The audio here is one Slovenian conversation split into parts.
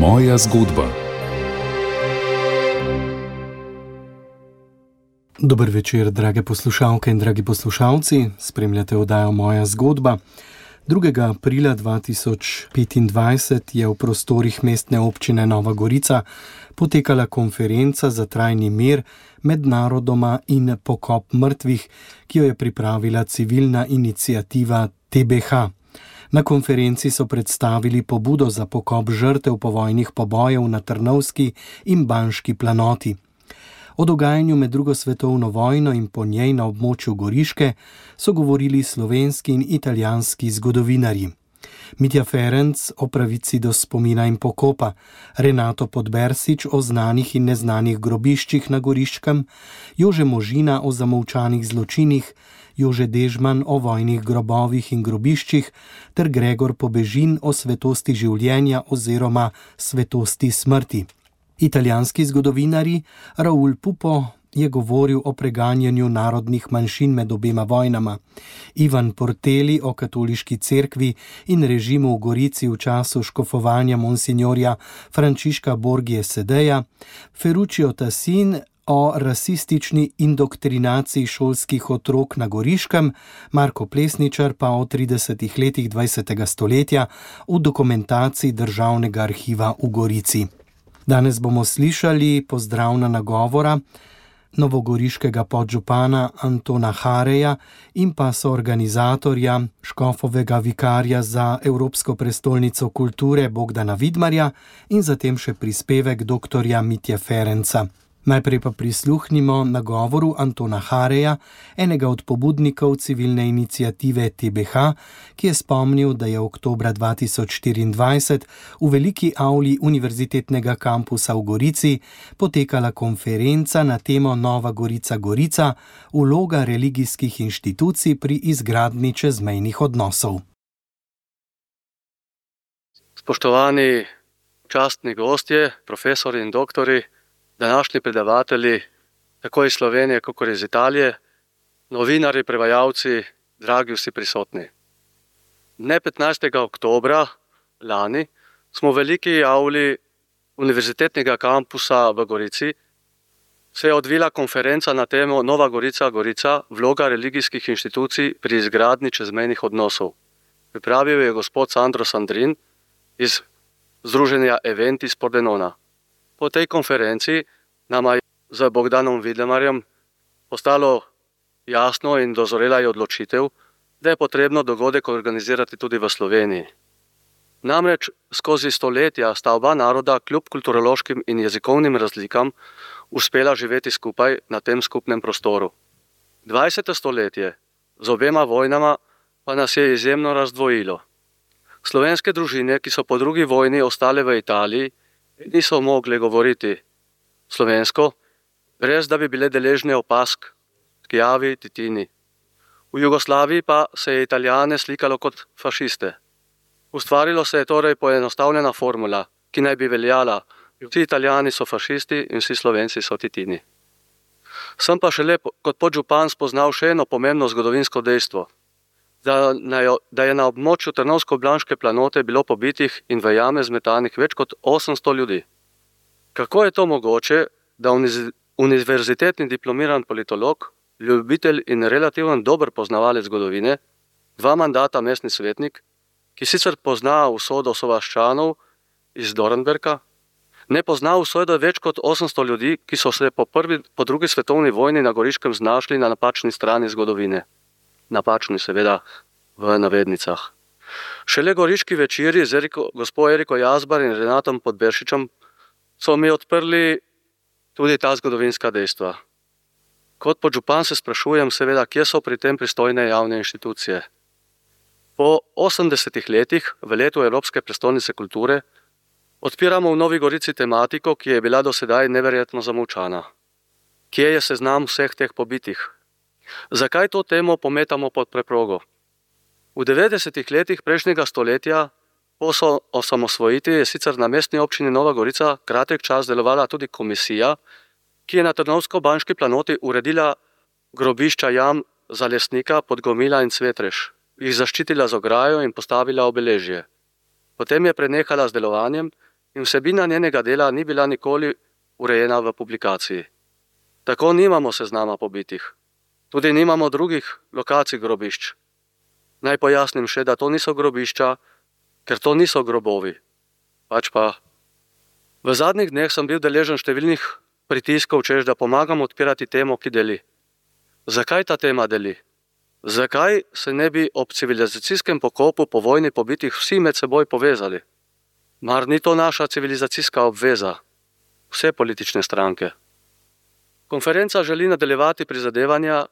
Moja zgodba. Dober večer, drage poslušalke in dragi poslušalci. Spremljate oddajo Moja zgodba. 2. aprila 2025 je v prostorih mestne občine Nova Gorica potekala konferenca za trajni mir med narodoma in pokop mrtvih, ki jo je pripravila civilna iniciativa TBH. Na konferenci so predstavili pobudo za pokop žrtev povojnih pobojev na Trnovski in Banški planoti. O dogajanju med drugo svetovno vojno in po njej na območju Goriške so govorili slovenski in italijanski zgodovinarji. Mitja Ferenc o pravici do spomina in pokopa, Renato Podbersič o znanih in neznanih grobiščih na Goriškem, Jože Možina o zamolčanih zločinih, Jože Dežman o vojnih grobovih in grobiščih ter Gregor Pobežin o svetosti življenja oziroma svetosti smrti. Italijanski zgodovinarji Raul Pupo je govoril o preganjanju narodnih manjšin med obema vojnama, Ivan Porteli o katoliški cerkvi in režimu v Gorici v času škofovanja monsignorja Frančiška Borgie Sedeja, Ferruccio Tassin o rasistični indoktrinaciji šolskih otrok na Goriškem, Marko Plesničar pa o 30 letih 20. stoletja v dokumentaciji Državnega arhiva v Gorici. Danes bomo slišali pozdravna nagovora novogoriškega podžupana Antona Hareja in pa soorganizatorja, škofovega vikarja za Evropsko prestolnico kulture Bogdana Vidmarja in zatem še prispevek doktorja Mitje Ferenca. Najprej pa prisluhnimo nagovoru Antona Hareja, enega od pobudnikov civilne iniciative TBH, ki je spomnil, da je oktobra 2024 v veliki avli Univerzitetnega kampusa v Gorici potekala konferenca na temo Nova Gorica, vloga religijskih inštitucij pri izgradnji čezmejnih odnosov. Spoštovani častni gostje, profesori in doktori, današnji predavatelji, tako iz Slovenije, kot iz Italije, novinarji, prevajalci, dragi vsi prisotni. Dne 15. oktobra lani smo v veliki avli Univerzitetnega kampusa v Gorici se je odvila konferenca na temo Nova Gorica, vloga religijskih inštitucij pri izgradnji čezmejnih odnosov. Pripravil je gospod Sandro Sandrin iz združenja Eventis Pordenona. Po tej konferenci nama je z Bogdanom Vidmarjem postalo jasno in dozorela je odločitev, da je potrebno dogodek organizirati tudi v Sloveniji. Namreč skozi stoletja sta oba naroda kljub kulturološkim in jezikovnim razlikam uspela živeti skupaj na tem skupnem prostoru. 20. stoletje z obema vojnama pa nas je izjemno razdvojilo. Slovenske družine, ki so po drugi vojni ostale v Italiji, niso mogli govoriti slovensko, brez da bi bile deležne opazk, Skijavi, Titini. V Jugoslaviji pa se je Italijane slikalo kot fašiste. Ustvarilo se je torej poenostavljena formula, ki naj bi veljala: vsi Italijani so fašisti in vsi Slovenci so Titini. Sem pa šele kot podžupan spoznal še eno pomembno zgodovinsko dejstvo, da je na območju Trnovsko-Banške planote bilo pobitih in v jame zmetanih več kot 800 ljudi. Kako je to mogoče, da univerzitetni diplomiran politolog, ljubitelj in relativno dober poznavalec zgodovine, 2 mandata mestni svetnik, ki sicer pozna usodo sovaščanov iz Dornberka, ne pozna usodo več kot 800 ljudi, ki so se po drugi svetovni vojni na Goriškem znašli na napačni strani zgodovine. Napačni seveda v navednicah. Šele goriški večeri z gospod Eriko Jazbar in Renatom Podbersičem so mi odprli tudi ta zgodovinska dejstva. Kot podžupan se sprašujem seveda, kje so pri tem pristojne javne inštitucije. Po 80 letih, v letu Evropske prestolnice kulture, odpiramo v Novi Gorici tematiko, ki je bila do sedaj neverjetno zamolčana. Kje je seznam vseh teh pobitih? Zakaj to temo pometamo pod preprogo? V 90. letih prejšnjega stoletja po osamosvojitvi je sicer na mestni občini Nova Gorica kratek čas delovala tudi komisija, ki je na Trnovsko-Banški planoti uredila grobišča jam za Lesnika, Podgomila in Cvetreš, jih zaščitila z ograjo in postavila obeležje. Potem je prenehala z delovanjem in vsebina njenega dela ni bila nikoli urejena v publikaciji. Tako nimamo seznama pobitih. Tudi nimamo drugih lokacij grobišč. Naj pojasnim še, da to niso grobišča, ker to niso grobovi. Pač pa. V zadnjih dneh sem bil deležen številnih pritiskov, češ da pomagam odpirati temo, ki deli. Zakaj ta tema deli? Zakaj se ne bi ob civilizacijskem pokopu po vojni pobitih vsi med seboj povezali? Mar ni to naša civilizacijska obveza? Vse politične stranke. Konferenca želi nadaljevati prizadevanja,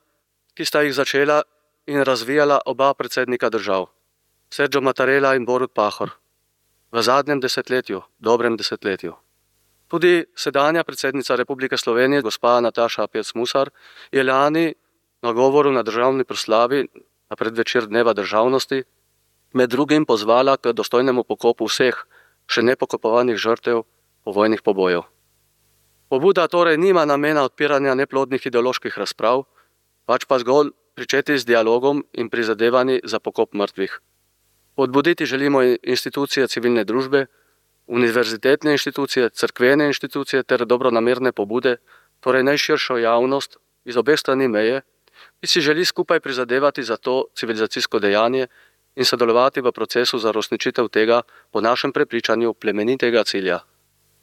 ki sta jih začela in razvijala oba predsednika držav, Sergio Mattarella in Borut Pahor, v zadnjem desetletju, dobrem desetletju. Tudi sedanja predsednica Republike Slovenije, gospa Nataša Pirc Musar, je lani na govoru na državni proslavi na predvečer Dneva državnosti med drugim pozvala k dostojnemu pokopu vseh še nepokopovanih žrtev povojnih pobojev. Pobuda torej nima namena odpiranja neplodnih ideoloških razprav, pač pa zgolj pričeti z dialogom in prizadevanji za pokop mrtvih. Podbuditi želimo institucije civilne družbe, univerzitetne inštitucije, cerkvene inštitucije ter dobronamerne pobude, torej najširšo javnost iz obeh strani meje, ki si želi skupaj prizadevati za to civilizacijsko dejanje in sodelovati v procesu za uresničitev tega, po našem prepričanju, plemenitega cilja,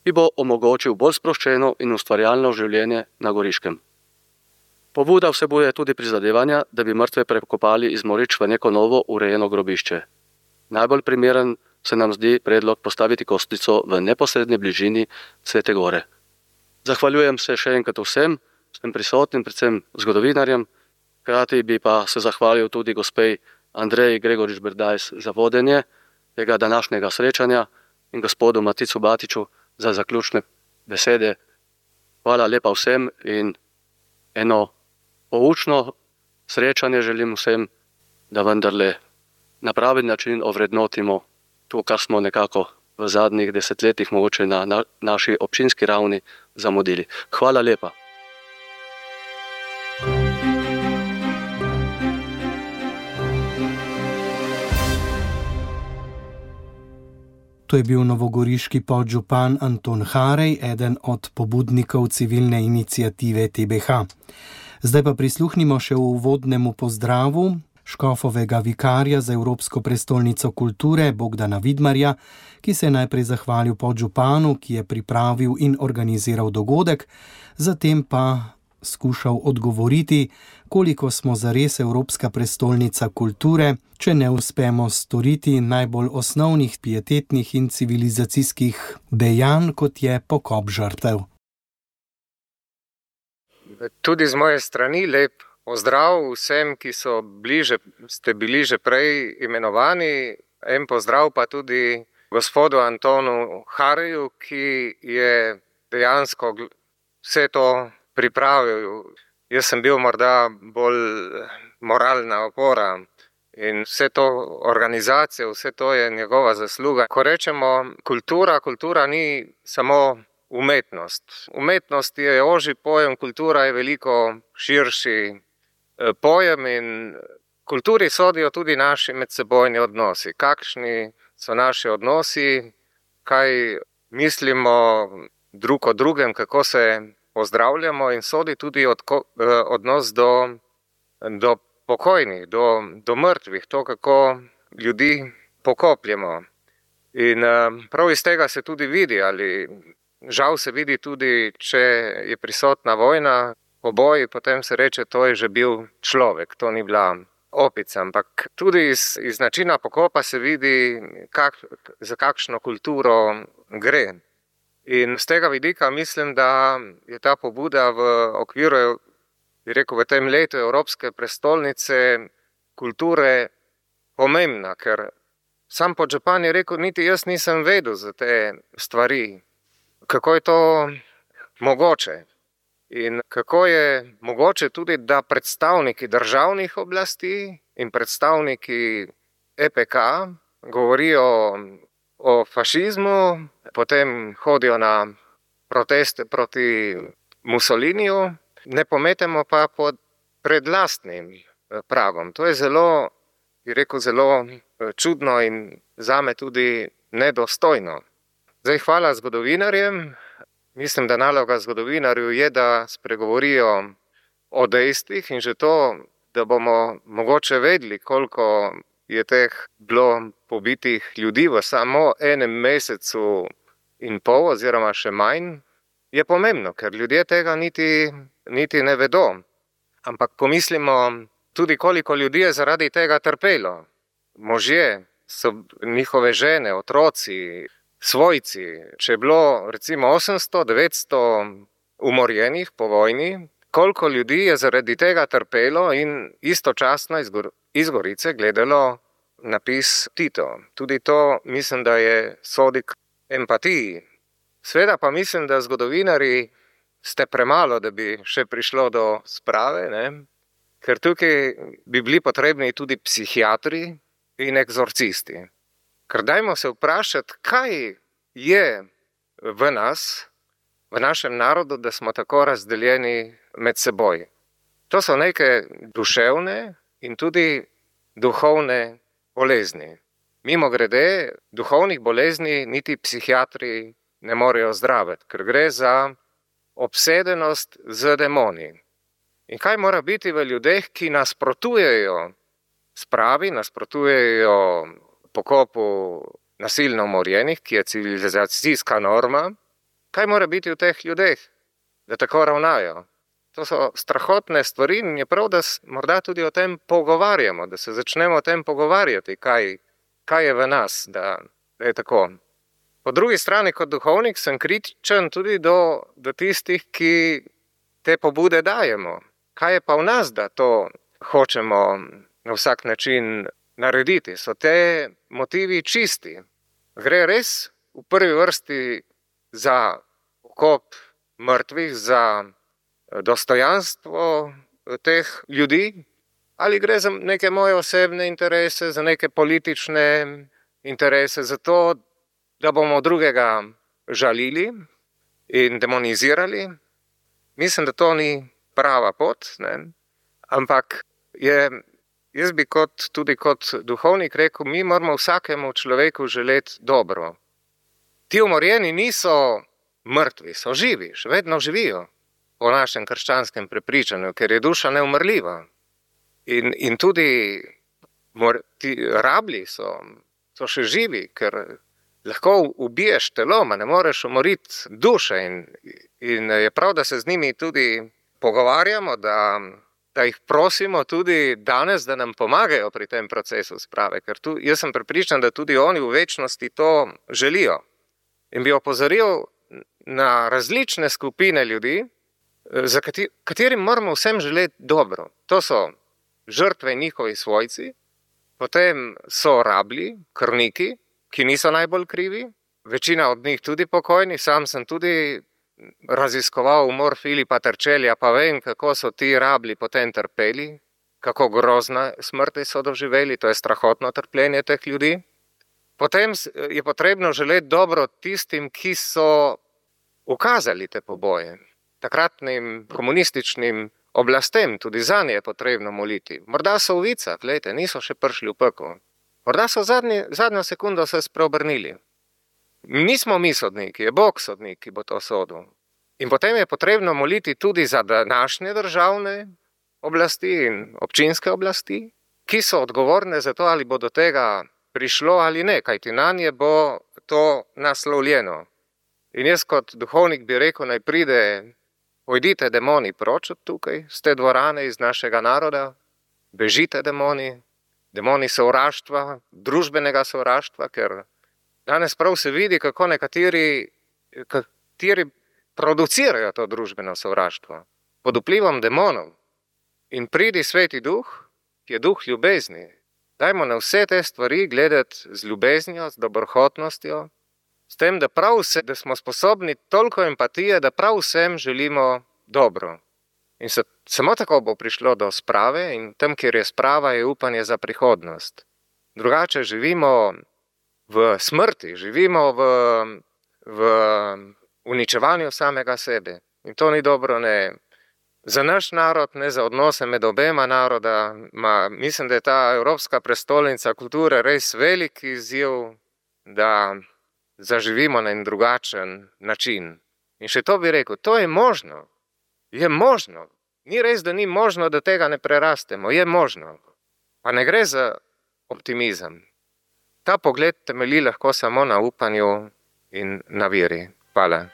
ki bo omogočil bolj sproščeno in ustvarjalno življenje na Goriškem. Pobuda vsebuje tudi prizadevanja, da bi mrtve prekopali iz morišč v neko novo urejeno grobišče. Najbolj primeren se nam zdi predlog postaviti kostnico v neposredni bližini Svete Gore. Zahvaljujem se še enkrat vsem prisotnim, predvsem zgodovinarjem, hkrati bi pa se zahvalil tudi gospej Andreji Gregorič Berdajs za vodenje tega današnjega srečanja in gospodu Maticu Batiču za zaključne besede. Hvala lepa vsem in eno poučno srečanje želim vsem, da vendarle na pravi način ovrednotimo to, kar smo nekako v zadnjih desetletjih mogoče na naši občinski ravni zamudili. Hvala lepa. To je bil novogoriški podžupan Anton Harej, eden od pobudnikov civilne iniciative TBH. Zdaj pa prisluhnimo še v uvodnemu pozdravu škofovega vikarja za Evropsko prestolnico kulture Bogdana Vidmarja, ki se je najprej zahvalil podžupanu, ki je pripravil in organiziral dogodek, zatem pa skušal odgovoriti, koliko smo zares Evropska prestolnica kulture, če ne uspemo storiti najbolj osnovnih pietetnih in civilizacijskih dejanj, kot je pokop žrtev. Tudi z moje strani lep pozdrav vsem, ki ste bili že prej imenovani. En pozdrav pa tudi gospodu Antonu Hareju, ki je dejansko vse to pripravil. Jaz sem bil morda bolj moralna opora in vse to organizacijo, vse to je njegova zasluga. Ko rečemo kultura ni samo umetnost. Umetnost je ožji pojem, kultura je veliko širši pojem in kulturi sodijo tudi naši medsebojni odnosi. Kakšni so naši odnosi, kaj mislimo drug o drugem, kako se pozdravljamo in sodi tudi odnos do pokojnih, do mrtvih, to, kako ljudi pokopljemo. In prav iz tega se tudi vidi, ali žal se vidi tudi, če je prisotna vojna, poboj, potem se reče, to je že bil človek, to ni bila opica. Ampak tudi iz načina pokopa se vidi, za kakšno kulturo gre. In z tega vidika mislim, da je ta pobuda v okviru, v tem letu Evropske prestolnice kulture pomembna, ker sam podžupan je rekel, niti jaz nisem vedel za te stvari. Kako je to mogoče? In kako je mogoče tudi, da predstavniki državnih oblasti in predstavniki EPK govorijo o fašizmu, potem hodijo na proteste proti Mussoliniju, ne pometemo pa pred lastnim pragom. To je zelo čudno in zame tudi nedostojno. Zdaj, hvala zgodovinarjem. Mislim, da naloga zgodovinarju je, da spregovorijo o dejstvih in že to, da bomo mogoče vedeli, koliko je teh bilo pobitih ljudi v samo enem mesecu in pol oziroma še manj, je pomembno, ker ljudje tega niti ne vedo. Ampak pomislimo tudi, koliko ljudi je zaradi tega trpelo. Možje, so njihove žene, otroci, svojci. Če je bilo recimo 800, 900 umorjenih po vojni, koliko ljudi je zaradi tega trpelo in istočasno iz Gorice gledalo napis Tito. Tudi to mislim, da je sodi k empatiji. Sveda pa mislim, da zgodovinarji ste premalo, da bi še prišlo do sprave, ne? Ker tukaj bi bili potrebni tudi psihiatri in egzorcisti. Ker dajmo se vprašati, kaj je v nas, v našem narodu, da smo tako razdeljeni med seboj. To so neke duševne in tudi duhovne bolezni. Mimogrede, duhovnih bolezni niti psihiatri ne morejo zdraviti, ker gre za obsedenost z demoni. In kaj mora biti v ljudeh, ki nasprotujejo spravi, nasprotujejo pokopu nasilno umorjenih, ki je civilizacijska norma, kaj mora biti v teh ljudeh, da tako ravnajo? To so strahotne stvari in je prav, da morda tudi o tem pogovarjamo, da se začnemo o tem pogovarjati, kaj je v nas, da je tako. Po drugi strani, kot duhovnik, sem kritičen tudi do tistih, ki te pobude dajemo. Kaj je pa v nas, da to hočemo na vsak način narediti? So te motivi čisti? Gre res v prvi vrsti za pokop mrtvih, za dostojanstvo teh ljudi? Ali gre za neke moje osebne interese, za neke politične interese, za to, da bomo drugega žalili in demonizirali? Mislim, da to ni prava pot, ne? Ampak jaz bi tudi kot duhovnik rekel, mi moramo vsakemu človeku želeti dobro. Ti umorjeni niso mrtvi, so živi, še vedno živijo po našem krščanskem prepričanju, ker je duša neumrljiva. In tudi ti rablji so še živi, ker lahko ubiješ telo, ma ne moreš umoriti duše in je prav, da se z njimi tudi pogovarjamo, da jih prosimo tudi danes, da nam pomagajo pri tem procesu sprave, ker jaz sem prepričan, da tudi oni v večnosti to želijo. In bi opozoril na različne skupine ljudi, za katerim moramo vsem želeti dobro. To so žrtve njihovi svojci, potem so rablji, krvniki, ki niso najbolj krivi, večina od njih tudi pokojni, sam sem tudi raziskoval umor Filipa Terčelja, pa vem, kako so ti rablji potem trpeli, kako grozna smrti so doživeli, to je strahotno trpljenje teh ljudi. Potem je potrebno želeti dobro tistim, ki so ukazali te poboje, takratnim komunističnim oblastem, tudi zanje je potrebno moliti. Morda so v vicah, glejte, niso še prišli v pekel. Morda so zadnjo sekundo se spreobrnili. Nismo mi sodniki, je Bog sodnik, ki bo to sodil. In potem je potrebno moliti tudi za današnje državne oblasti in občinske oblasti, ki so odgovorne za to, ali bo do tega prišlo ali ne, kajti nanje bo to naslovljeno. In jaz kot duhovnik bi rekel, naj pojdite demoni proč od tukaj, z te dvorane, iz našega naroda, bežite demoni sovraštva, družbenega sovraštva, ker danes prav se vidi, kako nekateri producirajo to družbeno sovraštvo pod vplivom demonov. In pridi Sveti Duh, ki je duh ljubezni. Dajmo na vse te stvari gledati z ljubeznijo, z dobrohotnostjo, s tem, da smo sposobni toliko empatije, da prav vsem želimo dobro. In samo tako bo prišlo do sprave in tam, kjer je sprava, je upanje za prihodnost. Drugače živimo v smrti, živimo v uničevanju samega sebe. In to ni dobro ne za naš narod, ne za odnose med obema naroda. Mislim, da je ta Evropska prestolnica kulture res velik izziv, da zaživimo na en drugačen način. In še to bi rekel, to je možno. Je možno. Ni res, da ni možno, da tega ne prerastemo. Je možno. Pa ne gre za optimizem. Ta pogled temelji lahko samo na upanju in na veri. Hvala.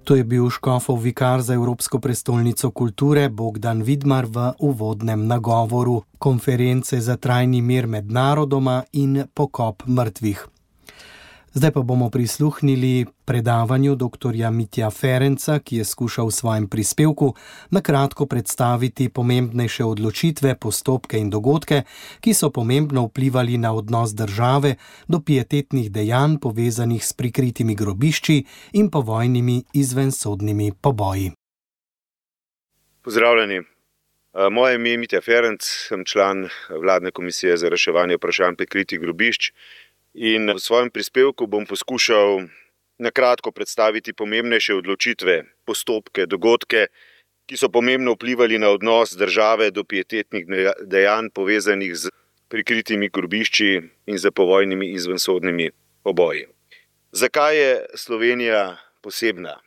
To je bil škofov vikar za Evropsko prestolnico kulture Bogdan Vidmar v uvodnem nagovoru konference za trajni mir med narodoma in pokop mrtvih. Zdaj pa bomo prisluhnili predavanju dr. Mitja Ferenca, ki je skušal v svojem prispevku na kratko predstaviti pomembnejše odločitve, postopke in dogodke, ki so pomembno vplivali na odnos države do pietetnih dejanj povezanih s prikritimi grobišči in povojnimi izvensodnimi poboji. Pozdravljeni. Moje ime je Mitja Ferenc, sem član vladne komisije za reševanje vprašanj prikritih grobišč. In v svojem prispevku bom poskušal na kratko predstaviti pomembnejše odločitve, postopke, dogodke, ki so pomembno vplivali na odnos države do pietetnih dejanj povezanih z prikritimi grobišči in z povojnimi izvensodnimi poboji. Zakaj je Slovenija posebna?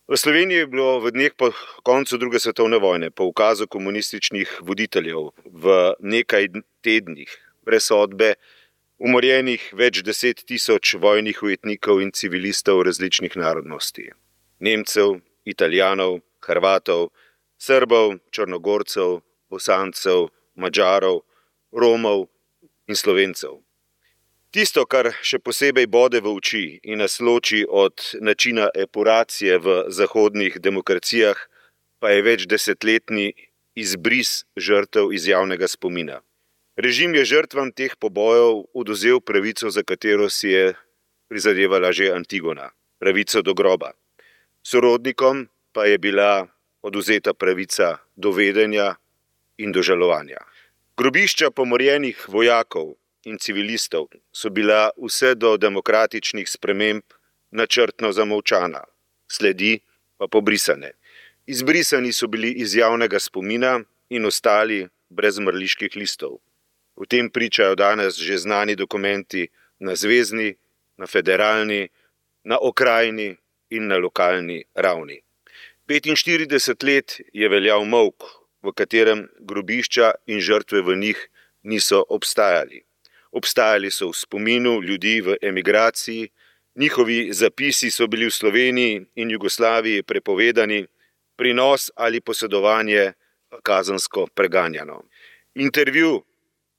V Sloveniji je bilo v dneh po koncu druge svetovne vojne, po ukazu komunističnih voditeljev, v nekaj tednih brez sodbe umorjenih več 10 000 vojnih ujetnikov in civilistov različnih narodnosti. Nemcev, Italijanov, Hrvatov, Srbov, Črnogorcev, Bosancev, Madžarov, Romov in Slovencev. Tisto, kar še posebej bode v oči in nas loči od načina epuracije v zahodnih demokracijah, pa je več desetletni izbris žrtev iz javnega spomina. Režim je žrtvam teh pobojev odvzel pravico, za katero si je prizadevala že Antigona, pravico do groba. Sorodnikom pa je bila odvzeta pravica do vedenja in do žalovanja. Grobišča pomorjenih vojakov in civilistov so bila vse do demokratičnih sprememb načrtno zamolčana, sledi pa pobrisane. Izbrisani so bili iz javnega spomina in ostali brez mrliških listov. O tem pričajo danes že znani dokumenti na zvezni, na federalni, na okrajni in na lokalni ravni. 45 let je veljal molk, v katerem grobišča in žrtve v njih niso obstajali. Obstajali so v spominu ljudi v emigraciji, njihovi zapisi so bili v Sloveniji in Jugoslaviji prepovedani, prinos ali posedovanje kazensko preganjano. Intervju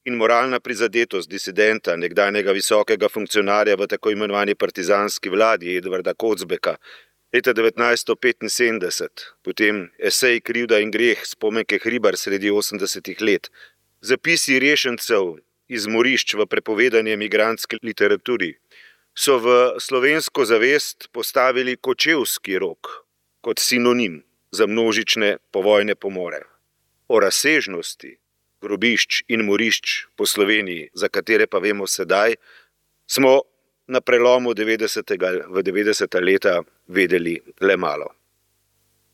in moralna prizadetost disidenta, nekdanjega visokega funkcionarja v tako imenovani partizanski vladi Edvarda Kocbeka leta 1975, potem esej Krivda in greh Spomenke Hribar sredi 80-ih let, zapisi rešencev iz morišč v prepovedani emigrantski literaturi, so v slovensko zavest postavili kočevski rok kot sinonim za množične povojne pomore. O razsežnosti grobišč in morišč po Sloveniji, za katere pa vemo sedaj, smo na prelomu v 90. leta vedeli le malo.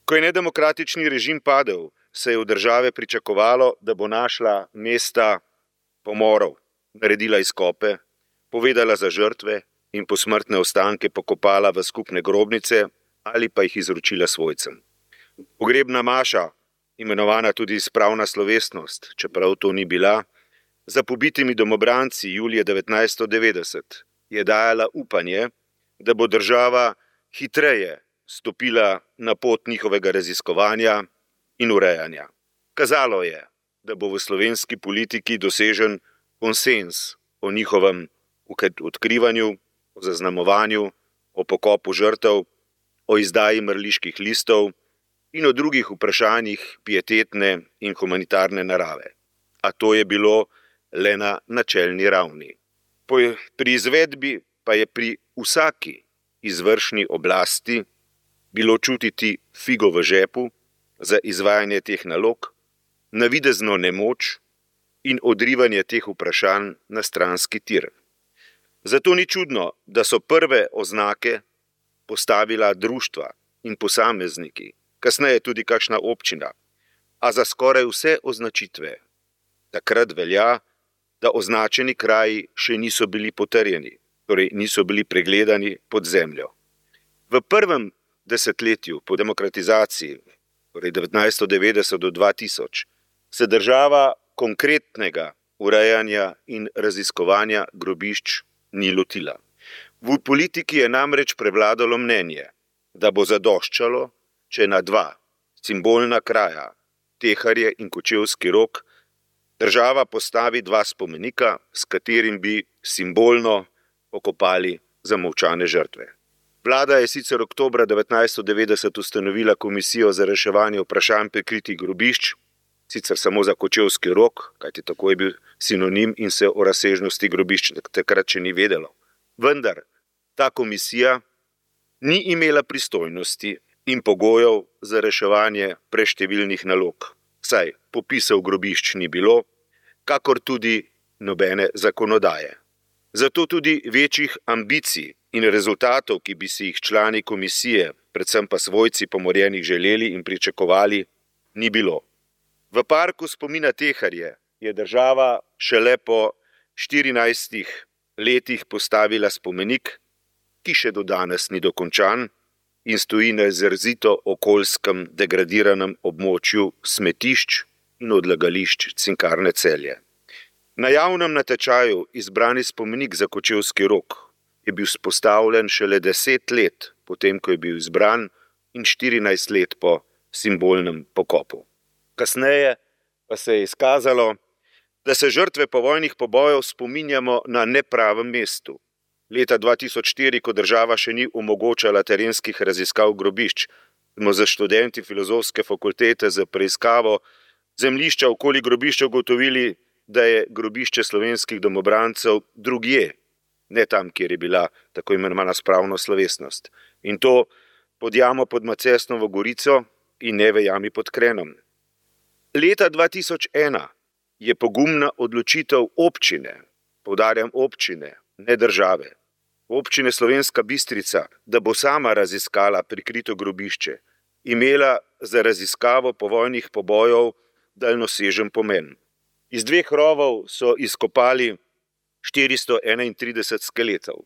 Ko je nedemokratični režim padel, se je v države pričakovalo, da bo našla mesta pomorov, naredila izkope, povedala za žrtve in posmrtne ostanke pokopala v skupne grobnice ali pa jih izročila svojcem. Pogrebna maša, imenovana tudi spravna slovesnost, čeprav to ni bila, za pobitimi domobranci julija 1990 je dajala upanje, da bo država hitreje stopila na pot njihovega raziskovanja in urejanja. Kazalo je, da bo v slovenski politiki dosežen konsenz o njihovem odkrivanju, o zaznamovanju, o pokopu žrtev, o izdaji mrliških listov in o drugih vprašanjih pietetne in humanitarne narave. A to je bilo le na načelni ravni. Pri izvedbi pa je pri vsaki izvršni oblasti bilo čutiti figo v žepu za izvajanje teh nalog, navidezno nemoč in odrivanje teh vprašanj na stranski tir. Zato ni čudno, da so prve oznake postavila društva in posamezniki, kasneje tudi kakšna občina. a za skoraj vse označitve takrat velja, da označeni kraji še niso bili potrjeni, torej niso bili pregledani pod zemljo. V prvem desetletju po demokratizaciji, torej 1990 do 2000, se država konkretnega urejanja in raziskovanja grobišč ni lotila. V politiki je namreč prevladalo mnenje, da bo zadoščalo, če na dva simbolna kraja, Teharje in Kočevski Rog, država postavi dva spomenika, s katerim bi simbolno pokopali zamolčane žrtve. Vlada je sicer oktobra 1990 ustanovila komisijo za reševanje vprašanj prikritih grobišč, sicer samo za Kočevski Rog, kajti tako je bil sinonim in se o razsežnosti grobišč takrat še ni vedelo. Vendar ta komisija ni imela pristojnosti in pogojev za reševanje preštevilnih nalog, saj popisov grobišč ni bilo, kakor tudi nobene zakonodaje. Zato tudi večjih ambicij in rezultatov, ki bi si jih člani komisije, predvsem pa svojci pomorjenih želeli in pričakovali, ni bilo. V parku spomina Teharje je država šele po 14 letih postavila spomenik, ki še do danes ni dokončan in stoji na izrazito okoljskem degradiranem območju smetišč in odlagališč Cinkarne Celje. Na javnem natečaju izbrani spomenik za Kočevski Rog je bil vzpostavljen šele 10 let potem, ko je bil izbran, in 14 let po simbolnem pokopu. Kasneje pa se je izkazalo, da se žrtve povojnih pobojev spominjamo na nepravem mestu. Leta 2004, ko država še ni omogočala terenskih raziskav grobišč, smo za študenti Filozofske fakultete za preiskavo zemljišča okoli grobišča ugotovili, da je grobišče slovenskih domobrancev drugje, ne tam, kjer je bila tako imenovana spravna slovesnost. In to pod jamo pod Macesnovo Gorico in ne v jami pod Krenom. Leta 2001 je pogumna odločitev občine, poudarjam občine, ne države, občine Slovenska Bistrica, da bo sama raziskala prikrito grobišče, imela za raziskavo povojnih pobojev daljnosežen pomen. Iz 2 rovov so izkopali 431 skeletov.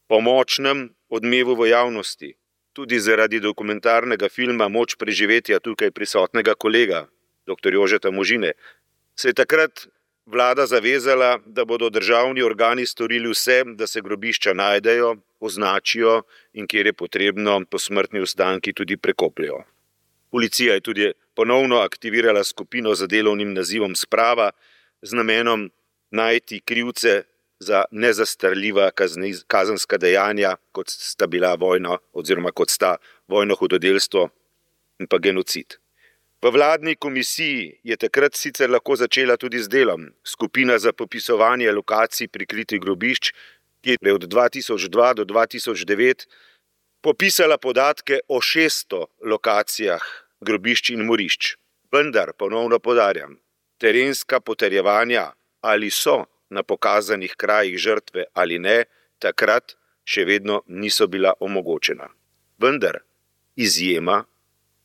Po močnem odmevu v javnosti, tudi zaradi dokumentarnega filma Moč preživetja tukaj prisotnega kolega, dr. Jožeta Možine, se je takrat vlada zavezala, da bodo državni organi storili vse, da se grobišča najdejo, označijo in kjer je potrebno, posmrtni ostanki tudi prekopljajo. Policija je tudi ponovno aktivirala skupino z delovnim nazivom Sprava z namenom najti krivce za nezastarljiva kazenska dejanja, kot sta bila vojna oziroma kot sta vojno hudodelstvo in pa genocid. V vladni komisiji je takrat sicer lahko začela tudi z delom skupina za popisovanje lokacij prikritih grobišč, ki je od 2002 do 2009 popisala podatke o 600 lokacijah grobišč in morišč. Vendar, ponovno poudarjam, terenska potrjevanja, ali so na pokazanih krajih žrtve ali ne, takrat še vedno niso bila omogočena. Vendar, izjema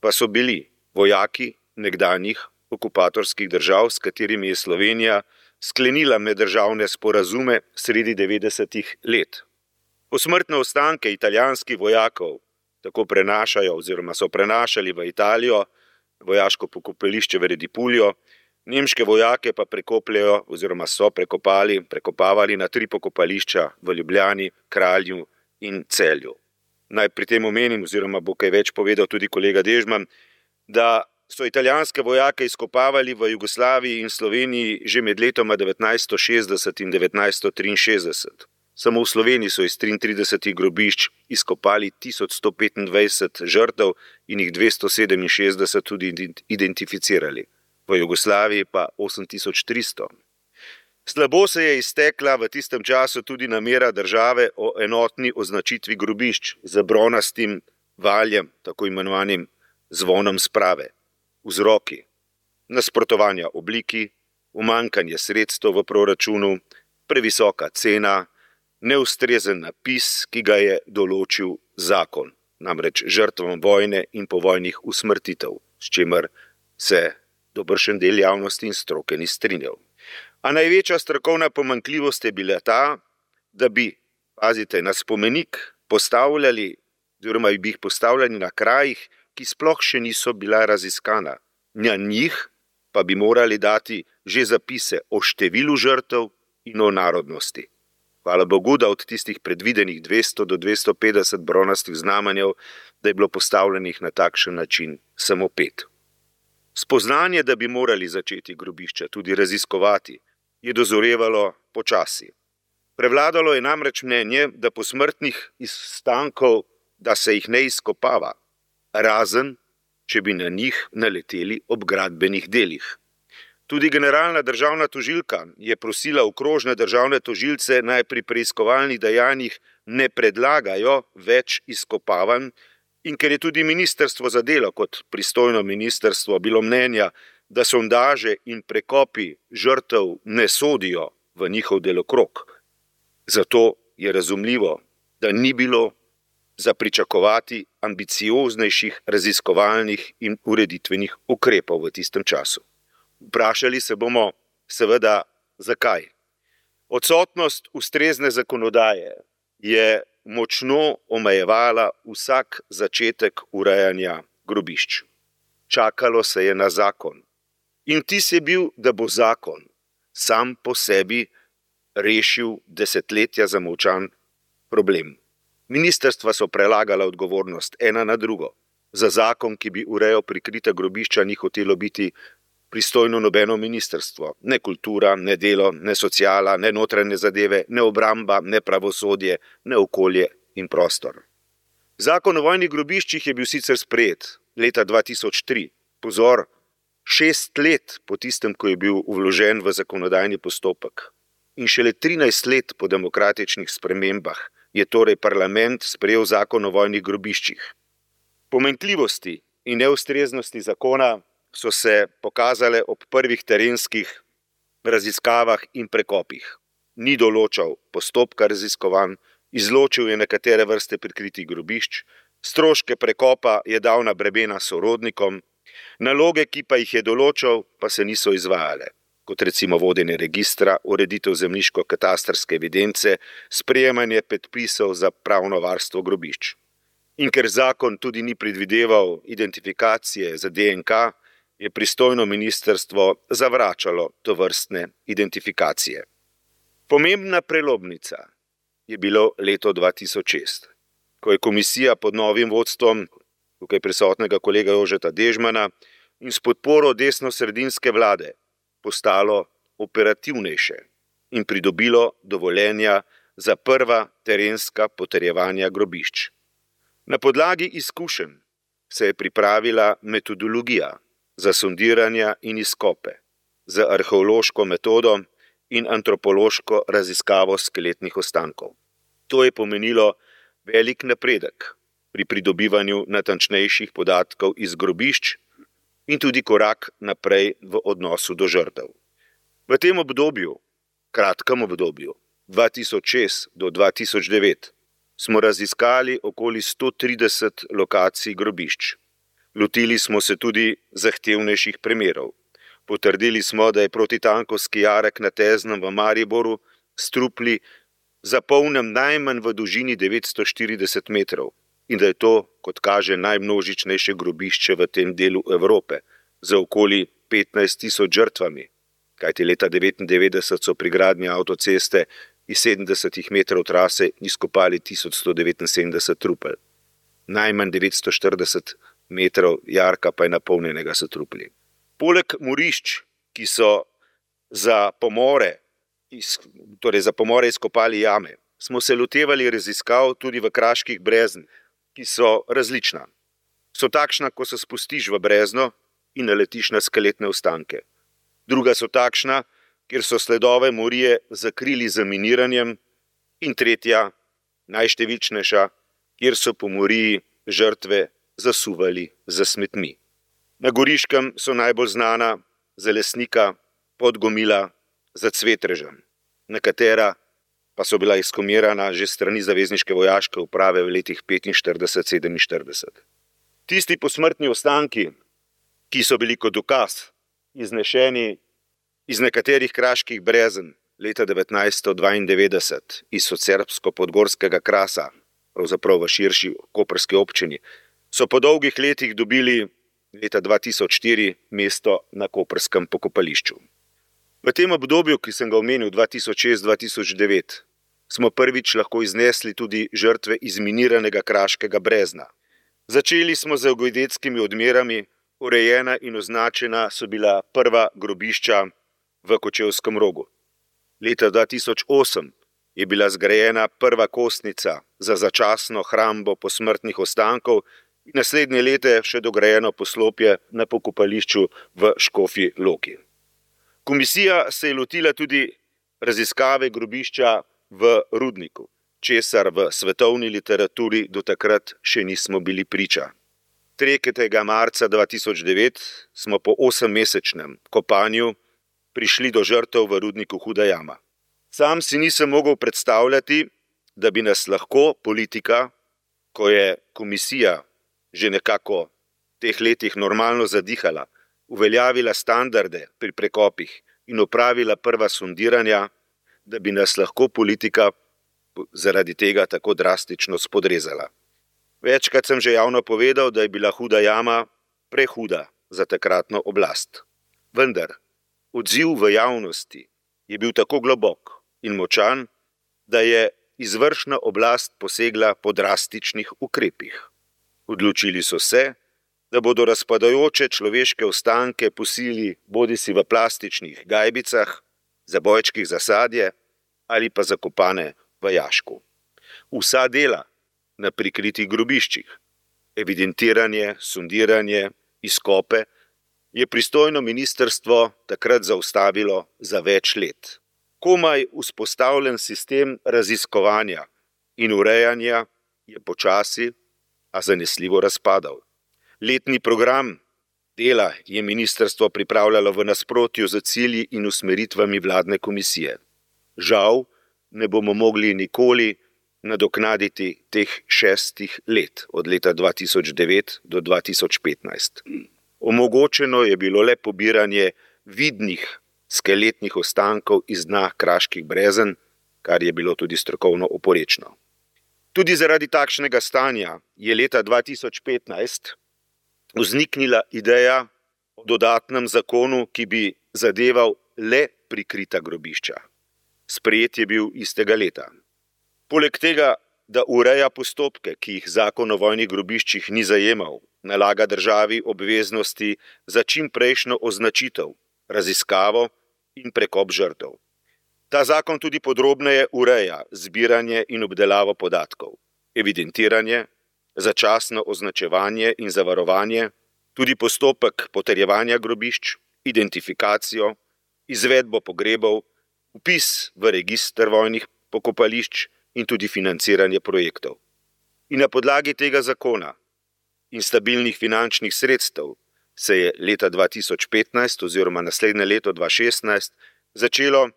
pa so bili vojaki nekdanjih okupatorskih držav, s katerimi je Slovenija sklenila meddržavne sporazume sredi 90-ih let. Posmrtne ostanke italijanskih vojakov tako prenašajo oziroma so prenašali v Italijo, vojaško pokopališče v Redipuljo, nemške vojake pa prekopljajo oziroma so prekopavali na 3 pokopališča v Ljubljani, Kralju in Celju. Naj pri tem omenim, oziroma bo kaj več povedal tudi kolega Dežman, da so italijanske vojake izkopavali v Jugoslaviji in Sloveniji že med letoma 1960 in 1963. Samo v Sloveniji so iz 33 grobišč izkopali 1125 žrtev in jih 267 tudi identificirali. V Jugoslaviji pa 8300. Slabo se je iztekla v tistem času tudi namera države o enotni označitvi grobišč z bronastim valjem, tako imenovanim zvonom sprave. Vzroki: nasprotovanja obliki, umanjkanje sredstev v proračunu, previsoka cena, neustrezen napis, ki ga je določil zakon, namreč žrtvam vojne in povojnih usmrtitev, s čimer se dobršen del javnosti in stroke ni strinjal. A največja strokovna pomanjkljivost je bila ta, da bi, pazite, na spomenik postavljali, oziroma bi jih postavljali na krajih, ki sploh še niso bila raziskana. Na njih pa bi morali dati že zapise o številu žrtev in o narodnosti. Hvala Bogu, da od tistih predvidenih 200 do 250 bronastih znamenjev, da je bilo postavljenih na takšen način samo 5. Spoznanje, da bi morali začeti grobišča tudi raziskovati, je dozorevalo počasi. Prevladalo je namreč mnenje, da posmrtnih ostankov, da se jih ne izkopava, razen, če bi na njih naleteli ob gradbenih delih. Tudi generalna državna tožilka je prosila okrožne državne tožilce, naj pri preiskovalnih dejanjih ne predlagajo več izkopavanj, in ker je tudi ministrstvo za delo kot pristojno ministrstvo bilo mnenja, da sondaže in prekopi žrtev ne sodijo v njihov delokrog. Zato je razumljivo, da ni bilo za pričakovati ambicioznejših raziskovalnih in ureditvenih ukrepov v tistem času. Vprašali se bomo seveda, zakaj. Odsotnost ustrezne zakonodaje je močno omejevala vsak začetek urejanja grobišč. Čakalo se je na zakon. In vtis je bil, da bo zakon sam po sebi rešil desetletja zamolčan problem. Ministrstva so prelagala odgovornost ena na drugo. Za zakon, ki bi urejal prikrita grobišča, ni hotelo biti pristojno nobeno ministrstvo. Ne kultura, ne delo, ne sociala, ne notranje zadeve, ne obramba, ne pravosodje, ne okolje in prostor. Zakon o vojnih grobiščih je bil sicer sprejet leta 2003. Pozor, 6 let po tistem, ko je bil vložen v zakonodajni postopek. In šele 13 let po demokratičnih spremembah je torej parlament sprejel zakon o vojnih grobiščih. Pomanjkljivosti in neustreznosti zakona so se pokazale ob prvih terenskih raziskavah in prekopih. Ni določal postopka raziskovanj, izločil je nekatere vrste prikritih grobišč, stroške prekopa je dal na bremena sorodnikom, naloge, ki pa jih je določal, pa se niso izvajale, kot recimo vodenje registra, ureditev zemljiško-katastrske evidence, sprejemanje predpisov za pravno varstvo grobišč. In ker zakon tudi ni predvideval identifikacije za DNK, je pristojno ministrstvo zavračalo tovrstne identifikacije. Pomembna prelomnica je bilo leto 2006, ko je komisija pod novim vodstvom tukaj prisotnega kolega Jožeta Dežmana in s podporo desnosredinske vlade postalo operativnejše in pridobilo dovoljenja za prva terenska potrjevanja grobišč. Na podlagi izkušenj se je pripravila metodologija za sondiranja in izkope, za arheološko metodo in antropološko raziskavo skeletnih ostankov. To je pomenilo velik napredek pri pridobivanju natančnejših podatkov iz grobišč in tudi korak naprej v odnosu do žrtev. V tem obdobju, kratkem obdobju, 2006 do 2009, smo raziskali okoli 130 lokacij grobišč. Lotili smo se tudi zahtevnejših primerov. Potrdili smo, da je protitankovski jarek na Teznem v Mariboru s trupli zapolnjen najmanj v dolžini 940 metrov in da je to, kot kaže, najmnožičnejše grobišče v tem delu Evrope z okoli 15.000 žrtvami, kajti leta 1999 so pri gradnji avtoceste iz 70 metrov trase izkopali 1179 trupel. Najmanj 940 metrov jarka pa je napolnjenega s trupli. Poleg morišč, ki so za pomore izkopali jame, smo se lotevali raziskav tudi v kraških breznih, ki so različna. So takšna, ko se spustiš v brezno in naletiš na skeletne ostanke. Druga so takšna, kjer so sledove morije zakrili z miniranjem, in tretja, najštevilčnejša, kjer so po moriji žrtve zasuvali za smetmi. Na Goriškem so najbolj znana za Lesnika, Podgomila, za Cvetrežem, na katera pa so bila ekshumirana že strani zavezniške vojaške uprave v letih 45-47. Tisti posmrtni ostanki, ki so bili kot dokaz iznešeni iz nekaterih kraških brezen leta 1992 iz socerbsko-podgorskega krasa, pravzaprav v širši koprski občini, so po dolgih letih dobili leta 2004 mesto na koprskem pokopališču. V tem obdobju, ki sem ga omenil, 2006-2009, smo prvič lahko iznesli tudi žrtve izminiranega kraškega brezna. Začeli smo z geodetskimi odmerami, urejena in označena so bila prva grobišča v Kočevskem Rogu. Leta 2008 je bila zgrajena prva kostnica za začasno hrambo posmrtnih ostankov in naslednje leta še dograjeno poslopje na pokopališču v Škofji Loki. Komisija se je lotila tudi raziskave grobišča v Rudniku, česar v svetovni literaturi do takrat še nismo bili priča. 3. marca 2009 smo po 8-mesečnem kopanju prišli do žrtev v Rudniku Huda jama. Sam si nisem mogel predstavljati, da bi nas lahko politika, ko je komisija že nekako v teh letih normalno zadihala, uveljavila standarde pri prekopih in opravila prva sondiranja, da bi nas lahko politika zaradi tega tako drastično spodrezala. Večkrat sem že javno povedal, da je bila Huda jama prehuda za takratno oblast. Vendar odziv v javnosti je bil tako globok in močan, da je izvršna oblast posegla po drastičnih ukrepih. Odločili so se, da bodo razpadajoče človeške ostanke posili bodisi v plastičnih gajbicah, zabojčkih za sadje ali pa zakopane v jašku. Vsa dela na prikritih grobiščih, evidentiranje, sondiranje, izkope, je pristojno ministrstvo takrat zaustavilo za več let. Komaj vzpostavljen sistem raziskovanja in urejanja je počasi, a zanesljivo razpadal. Letni program dela je ministrstvo pripravljalo v nasprotju z cilji in usmeritvami vladne komisije. Žal ne bomo mogli nikoli nadoknaditi teh 6 let, od leta 2009 do 2015. Omogočeno je bilo le pobiranje vidnih skeletnih ostankov iz dna kraških brezen, kar je bilo tudi strokovno oporečno. Tudi zaradi takšnega stanja je leta 2015 vzniknila ideja o dodatnem zakonu, ki bi zadeval le prikrita grobišča. Sprejet je bil istega leta. Poleg tega, da ureja postopke, ki jih zakon o vojnih grobiščih ni zajemal, nalaga državi obveznosti za čimprejšnjo označitev, raziskavo in prekop žrtev. Ta zakon tudi podrobneje ureja zbiranje in obdelavo podatkov, evidentiranje, začasno označevanje in zavarovanje, tudi postopek potrjevanja grobišč, identifikacijo, izvedbo pogrebov, vpis v register vojnih pokopališč in tudi financiranje projektov. In na podlagi tega zakona in stabilnih finančnih sredstev se je leta 2015 oziroma naslednje leto 2016 začelo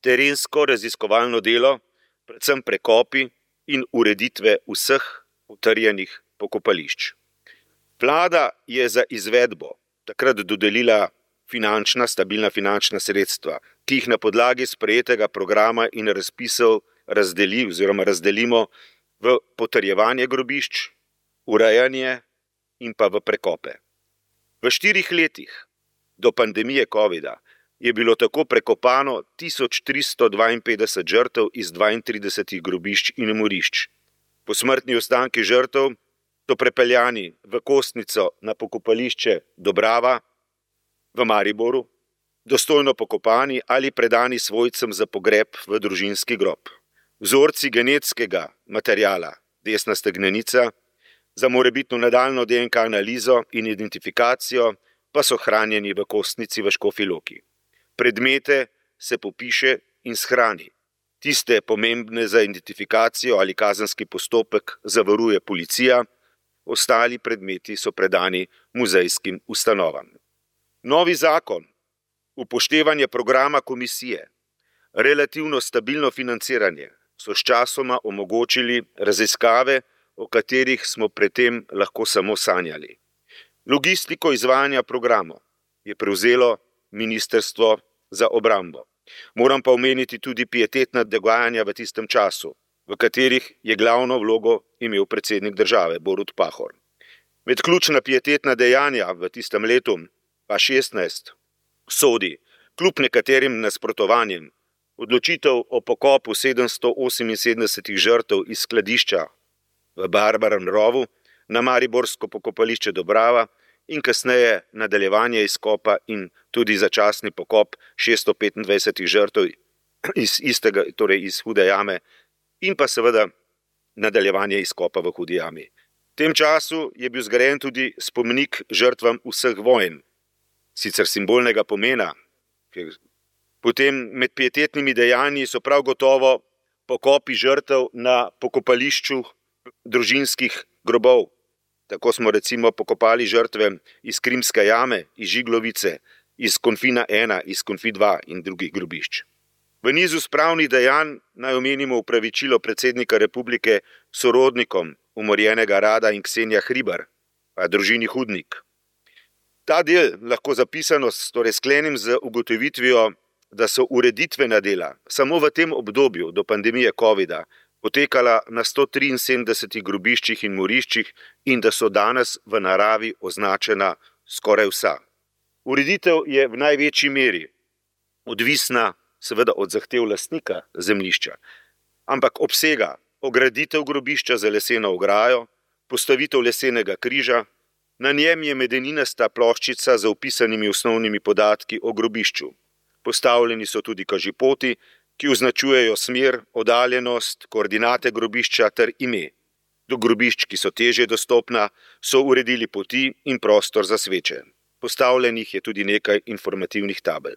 terensko raziskovalno delo, predvsem prekopi in ureditve vseh utrjenih pokopališč. Vlada je za izvedbo takrat dodelila stabilna finančna sredstva, ki jih na podlagi sprejetega programa in razpisov razdelimo v potrjevanje grobišč, urejanje in pa v prekope. V 4 letih do pandemije covida je bilo tako prekopano 1352 žrtev iz 32 grobišč in morišč. Posmrtni ostanki žrtev so prepeljani v kostnico na pokopališče Dobrava v Mariboru, dostojno pokopani ali predani svojcem za pogreb v družinski grob. Vzorci genetskega materiala, desna stegnenica, za morebitno nadaljnjo DNK analizo in identifikacijo pa so hranjeni v kostnici v Škofji Loki. Predmete se popiše in shrani. Tiste pomembne za identifikacijo ali kazenski postopek zavaruje policija, ostali predmeti so predani muzejskim ustanovam. Novi zakon, upoštevanje programa komisije, relativno stabilno financiranje so sčasoma omogočili raziskave, o katerih smo predtem lahko samo sanjali. Logistiko izvajanja programov je prevzelo Ministrstvo za obrambo. Moram pa omeniti tudi pietetna dogajanja v tistem času, v katerih je glavno vlogo imel predsednik države Borut Pahor. Med ključna pietetna dejanja v tistem letu pa 16 sodi, kljub nekaterim nasprotovanjem, odločitev o pokopu 778 žrtev iz skladišča v Barbarem rovu na mariborsko pokopališče Dobrava in kasneje nadaljevanje izkopa in tudi začasni pokop 625 žrtev iz Hude jame in pa seveda nadaljevanje izkopa v Hudi jami. V tem času je bil zgrajen tudi spomenik žrtvam vseh vojn, sicer simbolnega pomena. Potem med pietetnimi dejanji so prav gotovo pokopi žrtev na pokopališču družinskih grobov. Tako smo recimo pokopali žrtve iz Krimske jame, iz Žiglovice, iz Konfina 1, iz Konfi 2 in drugih grobišč. V nizu spravnih dejanj naj omenimo opravičilo predsednika republike sorodnikom umorjenega Rada in Ksenija Hribar, pa družini Hudnik. Ta del lahko zapisano sklenim z ugotovitvijo, da so ureditvena dela samo v tem obdobju do pandemije covida potekala na 173 grobiščih in moriščih in da so danes v naravi označena skoraj vsa. Ureditev je v največji meri odvisna seveda od zahtev lastnika zemljišča, ampak obsega ograditev grobišča za leseno ograjo, postavitev lesenega križa, na njem je medeninasta ploščica z vpisanimi osnovnimi podatki o grobišču. Postavljeni so tudi kažipoti, ki označujejo smer, oddaljenost, koordinate grobišča ter ime. Do grobišč, ki so težje dostopna, so uredili poti in prostor za sveče. Postavljenih je tudi nekaj informativnih tabel.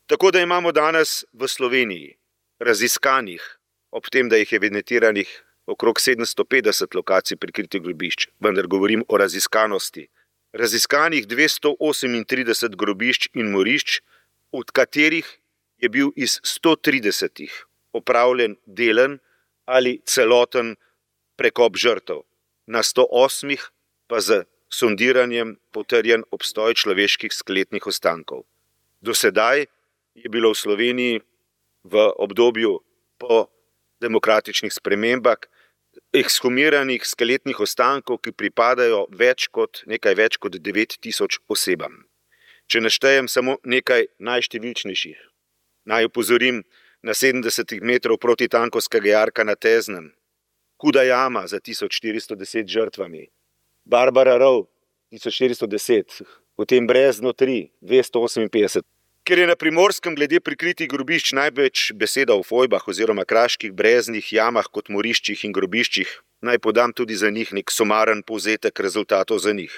Tako da imamo danes v Sloveniji raziskanih, ob tem, da jih je evidentiranih okrog 750 lokacij prikritih grobišč, vendar govorim o raziskanosti, raziskanih 238 grobišč in morišč, od katerih je bil iz 130 opravljen delen ali celoten prekop žrtev, na 108 pa z sondiranjem potrjen obstoj človeških skeletnih ostankov. Do sedaj je bilo v Sloveniji v obdobju po demokratičnih spremembah ekshumiranih skeletnih ostankov, ki pripadajo nekaj več kot 9000 osebam. Če naštejem samo nekaj najštevilčnejših, naj opozorim na 70 metrov protitankovskega jarka na Teznem, Huda jama za 1410 žrtvami, Barbara rov 1410, potem Brezno 3, 258. Ker je na Primorskem glede prikritih grobišč največ beseda o fojbah oziroma kraških breznih jamah kot moriščih in grobiščih, naj podam tudi za njih nek sumaren povzetek rezultatov za njih.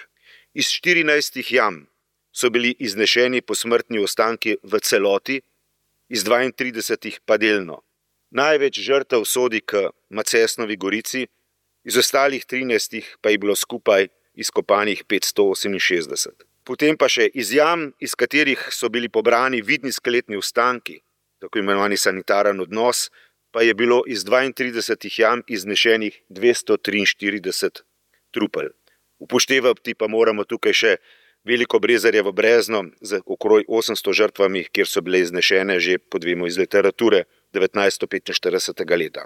Iz 14 jam so bili iznešeni posmrtni ostanki v celoti, iz 32 pa delno. Največ žrtev sodi k Macesnovi gorici, iz ostalih 13 pa je bilo skupaj izkopanih 568. Potem pa še iz jam, iz katerih so bili pobrani vidni skeletni ostanki, tako imenovani sanitaren odnos, pa je bilo iz 32 jam iznešenih 243 trupel. Upoštevati pa moramo tukaj še Veliko Brezarjevo brezno z okrog 800 žrtvami, kjer so bile iznešene že, podvemo iz literature, 1945. leta.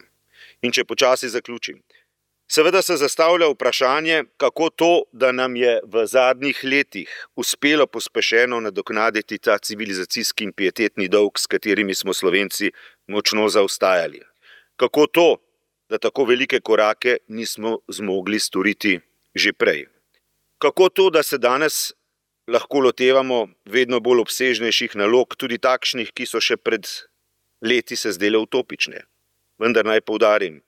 In če počasi zaključim. Seveda se zastavlja vprašanje, kako to, da nam je v zadnjih letih uspelo pospešeno nadoknaditi ta civilizacijski in pietetni dolg, s katerimi smo Slovenci močno zaostajali. Kako to, da tako velike korake nismo zmogli storiti že prej. Kako to, da se danes lahko lotevamo vedno bolj obsežnejših nalog, tudi takšnih, ki so še pred leti se zdele utopične. Vendar naj poudarim,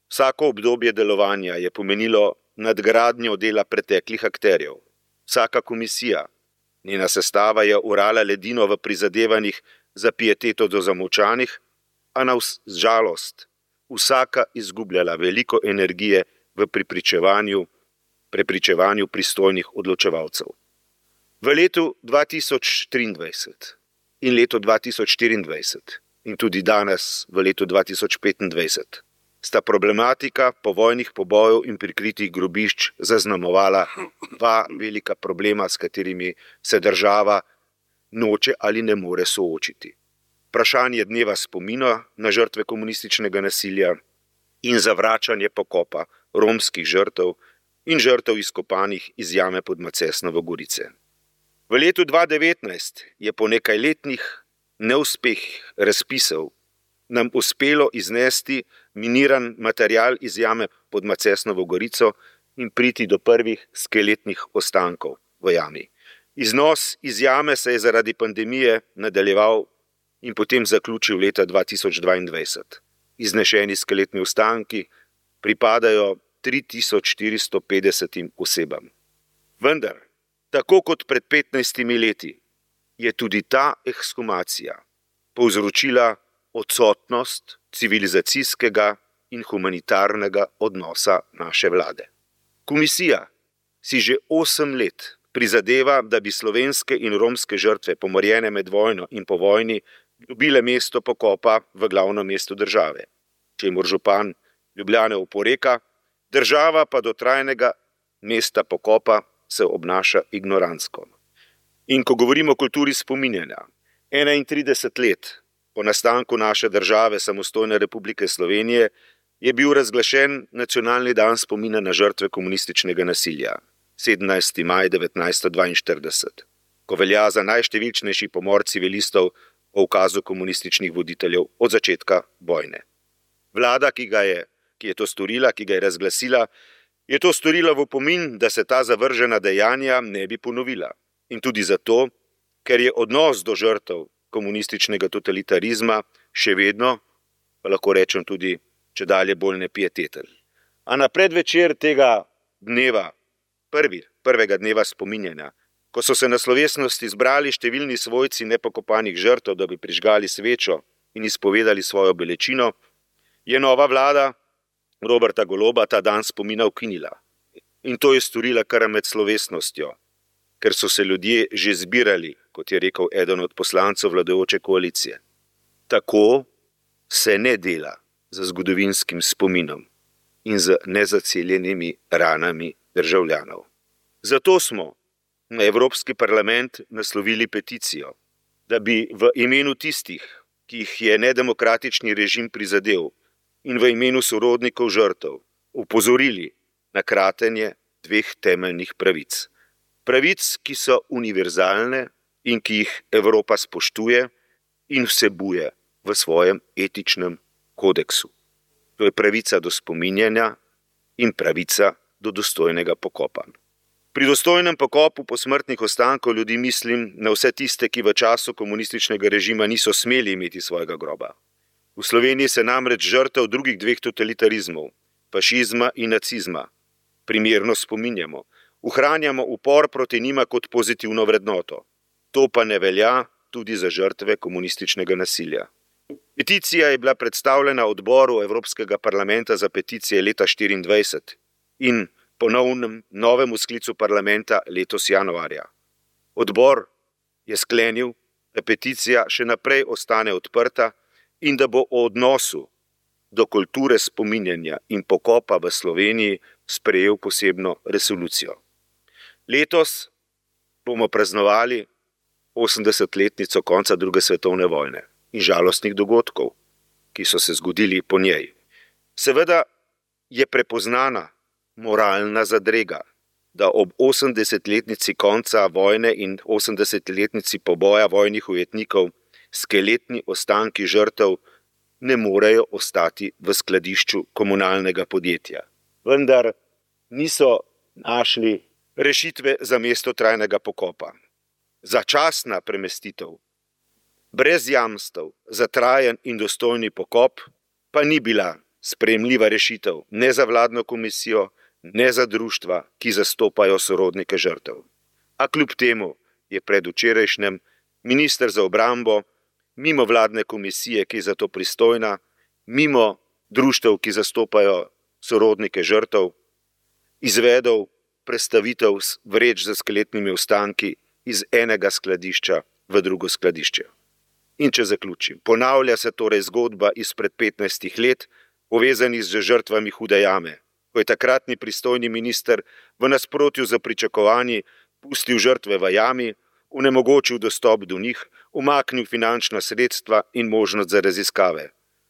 vsako obdobje delovanja je pomenilo nadgradnjo dela preteklih akterjev. Vsaka komisija, njena sestava je orala ledino v prizadevanjih za pieteto do zamolčanih, a na žalost vsaka izgubljala veliko energije v prepričevanju pristojnih odločevalcev. V letu 2023 in letu 2024 in tudi danes v letu 2025 sta problematika povojnih pobojev in prikritih grobišč zaznamovala dva velika problema, s katerimi se država noče ali ne more soočiti. Vprašanje dneva spomina na žrtve komunističnega nasilja in zavračanje pokopa romskih žrtev in žrtev izkopanih iz jame pod Macesnovo Gorice. V letu 2019 je po nekajletnih neuspehih razpisov nam uspelo iznesti miniran material iz jame pod Macesnovo Gorico in priti do prvih skeletnih ostankov v jami. Iznos iz jame se je zaradi pandemije nadaljeval in potem zaključil leta 2022. Iznešeni skeletni ostanki pripadajo 3450 osebam. Vendar, tako kot pred 15 leti, je tudi ta ekshumacija povzročila odsotnost civilizacijskega in humanitarnega odnosa naše vlade. Komisija si že 8 let prizadeva, da bi slovenske in romske žrtve pomorjene med vojno in po vojni dobile mesto pokopa v glavnem mestu države, čemur župan Ljubljane oporeka, država pa do trajnega mesta pokopa se obnaša ignorantsko. In ko govorimo o kulturi spominjanja, 31 let po nastanku naše države, samostojne Republike Slovenije, je bil razglašen Nacionalni dan spomina na žrtve komunističnega nasilja, 17. maj 1942, ko velja za najštevilčnejši pomor civilistov po ukazu komunističnih voditeljev od začetka vojne. Vlada, ki je to storila, ki ga je razglasila, je to storila v opomin, da se ta zavržena dejanja ne bi ponovila. In tudi zato, ker je odnos do žrtev komunističnega totalitarizma še vedno, pa lahko rečem tudi, čedalje bolj nepieteten. A na predvečer tega dneva, prvega dneva spominjanja, ko so se na slovesnosti zbrali številni svojci nepokopanih žrtev, da bi prižgali svečo in izpovedali svojo bolečino, je nova vlada Roberta Goloba ta dan spomina ukinila. In to je storila kar med slovesnostjo, ker so se ljudje že zbirali, kot je rekel eden od poslancev vladajoče koalicije. Tako se ne dela z zgodovinskim spominom in z nezaceljenimi ranami državljanov. Zato smo na Evropski parlament naslovili peticijo, da bi v imenu tistih, ki jih je nedemokratični režim prizadel, in v imenu sorodnikov žrtev opozorili na kratenje 2 temeljnih pravic. Pravic, ki so univerzalne in ki jih Evropa spoštuje in vsebuje v svojem etičnem kodeksu. To je pravica do spominjanja in pravica do dostojnega pokopa. Pri dostojnem pokopu posmrtnih ostankov ljudi mislim na vse tiste, ki v času komunističnega režima niso smeli imeti svojega groba. V Sloveniji se namreč žrtev drugih 2 totalitarizmov, fašizma in nacizma, primerno spominjamo, ohranjamo upor proti njima kot pozitivno vrednoto. To pa ne velja tudi za žrtve komunističnega nasilja. Peticija je bila predstavljena odboru Evropskega parlamenta za peticije leta 2024 in ponovnem novemu sklicu parlamenta letos januarja. Odbor je sklenil, da peticija še naprej ostane odprta in da bo o odnosu do kulture spominjanja in pokopa v Sloveniji sprejel posebno resolucijo. Letos bomo praznovali 80-letnico konca druge svetovne vojne in žalostnih dogodkov, ki so se zgodili po njej. Seveda je prepoznana moralna zadrega, da ob 80-letnici konca vojne in 80-letnici poboja vojnih ujetnikov skeletni ostanki žrtev ne morejo ostati v skladišču komunalnega podjetja. Vendar niso našli rešitve za mesto trajnega pokopa. Začasna premestitev, brez jamstev za trajen in dostojni pokop, pa ni bila sprejemljiva rešitev ne za vladno komisijo, ne za društva, ki zastopajo sorodnike žrtev. A kljub temu je predvčerajšnjem minister za obrambo mimo vladne komisije, ki je za to pristojna, mimo društev, ki zastopajo sorodnike žrtev, izvedel prestavitev vreč za skeletnimi ostanki iz enega skladišča v drugo skladišče. In če zaključim, ponavlja se torej zgodba izpred 15 let, povezanih z žrtvami Hude jame, ko je takratni pristojni minister v nasprotju z pričakovanji pustil žrtve v jami, onemogočil dostop do njih, umaknil finančna sredstva in možnost za raziskave.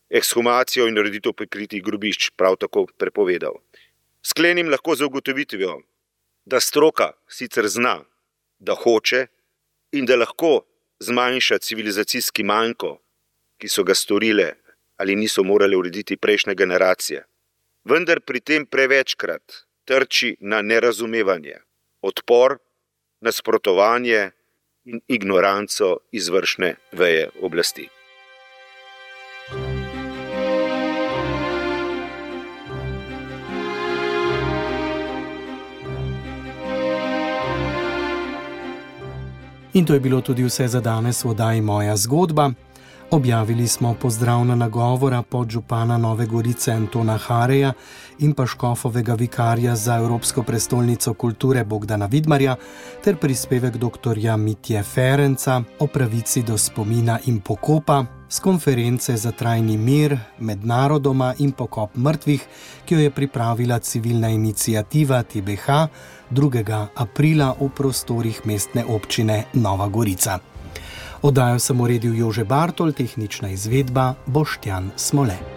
Ekshumacijo in ureditev prikritih grobišč prav tako prepovedal. Sklenim lahko z ugotovitvijo, da stroka sicer zna, da hoče in da lahko zmanjša civilizacijski manjko, ki so ga storile ali niso morale urediti prejšnje generacije. Vendar pri tem prevečkrat trči na nerazumevanje, odpor, nasprotovanje in ignoranco izvršne veje oblasti. In to je bilo tudi vse za danes v oddaji Moja zgodba. Objavili smo pozdravna nagovora podžupana Nove Gorice Antona Hareja in pa škofovega vikarja za Evropsko prestolnico kulture Bogdana Vidmarja ter prispevek doktorja Mitje Ferenca o pravici do spomina in pokopa s konference za trajni mir med narodoma in pokop mrtvih, ki jo je pripravila civilna iniciativa TBH 2. aprila v prostorih mestne občine Nova Gorica. Oddajo sem uredil Jože Bartol, tehnična izvedba Boštjan Smole.